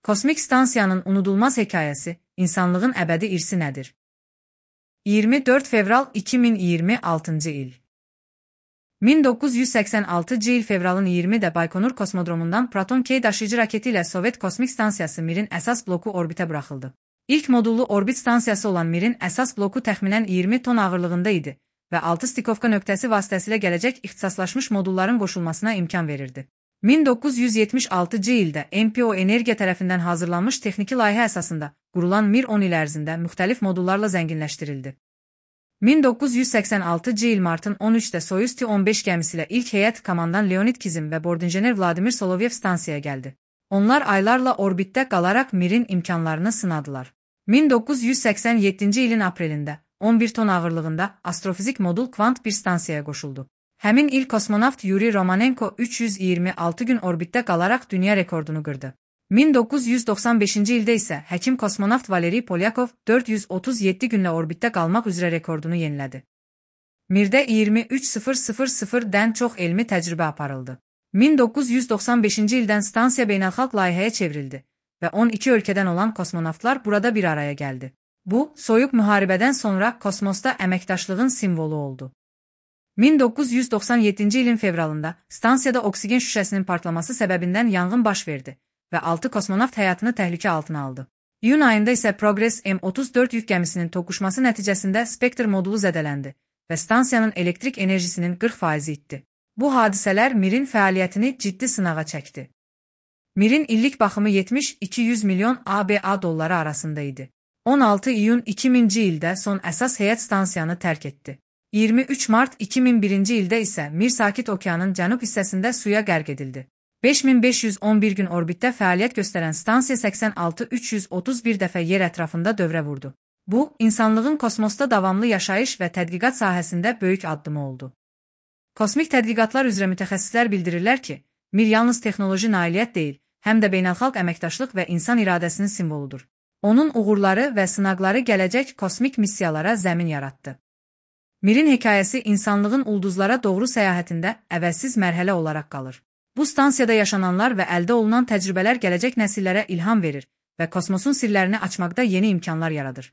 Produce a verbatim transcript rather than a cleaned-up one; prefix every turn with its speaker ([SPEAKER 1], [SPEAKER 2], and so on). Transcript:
[SPEAKER 1] Kosmik stansiyanın unudulmaz hekayəsi, insanlığın əbədi irsi nədir? iyirmi dörd fevral iki min iyirmi altıncı il. min doqquz yüz səksən altıncı il fevralın iyirmində Baykonur kosmodromundan Proton-K daşıyıcı raketi ilə Sovet kosmik stansiyası Mir'in əsas bloku orbitə buraxıldı. İlk modullu orbit stansiyası olan Mir'in əsas bloku təxminən iyirmi ton ağırlığında idi və altı stikovka nöqtəsi vasitəsilə gələcək ixtisaslaşmış modulların qoşulmasına imkan verirdi. min doqquz yüz yetmiş altıncı ildə M P O Energiya tərəfindən hazırlanmış texniki layihə əsasında qurulan Mir on il ərzində müxtəlif modullarla zənginləşdirildi. min doqquz yüz səksən altıncı il martın on üçdə Soyuz T on beş gəmisi ilə ilk heyət komandan Leonid Kizim və bordinjener Vladimir Solovyev stansiyaya gəldi. Onlar aylarla orbitdə qalaraq Mir'in imkanlarını sınadılar. min doqquz yüz səksən yeddinci ilin aprelində on bir ton ağırlığında astrofizik modul Kvant bir stansiyaya qoşuldu. Həmin il kosmonavt Yuri Romanenko üç yüz iyirmi altı gün orbitdə qalaraq dünya rekordunu qırdı. min doqquz yüz doxsan beşinci ildə isə həkim kosmonavt Valeri Polyakov dörd yüz otuz yeddi günlə orbitdə qalmaq üzrə rekordunu yenilədi. Mirdə iyirmi üç min çox elmi təcrübə aparıldı. min doqquz yüz doxsan beşinci ildən stansiya beynəlxalq layihəyə çevrildi və on iki ölkədən olan kosmonavtlar burada bir araya gəldi. Bu, soyuq müharibədən sonra kosmosda əməkdaşlığın simvolu oldu. min doqquz yüz doxsan yeddinci ilin fevralında stansiyada oksigen şüşəsinin partlaması səbəbindən yanğın baş verdi və altı kosmonavt həyatını təhlükə altına aldı. İyun ayında isə Progress M otuz dörd yük gəmisinin toqquşması nəticəsində Spektr modulu zədələndi və stansiyanın elektrik enerjisinin qırx faizi itdi. Bu hadisələr Mir'in fəaliyyətini ciddi sınağa çəkdi. Mir'in illik baxımı yetmiş iki yüz milyon A B A dolları arasında idi. on altı iyun iki minci ildə son əsas heyət stansiyanı tərk etdi. iyirmi üç mart iki min birinci ildə isə Mir Sakit Okeanın cənub hissəsində suya qərq edildi. beş min beş yüz on bir gün orbitdə fəaliyyət göstərən stansiya səksən altı min üç yüz otuz bir dəfə yer ətrafında dövrə vurdu. Bu, insanlığın kosmosda davamlı yaşayış və tədqiqat sahəsində böyük addımı oldu. Kosmik tədqiqatlar üzrə mütəxəssislər bildirirlər ki, Mir yalnız texnoloji nailiyyət deyil, həm də beynəlxalq əməkdaşlıq və insan iradəsinin simvoludur. Onun uğurları və sınaqları gələcək kosmik missiyalara zəmin yaratdı. Mir'in hekayəsi insanlığın ulduzlara doğru səyahətində əvəzsiz mərhələ olaraq qalır. Bu stansiyada yaşananlar və əldə olunan təcrübələr gələcək nəsillərə ilham verir və kosmosun sirlərini açmaqda yeni imkanlar yaradır.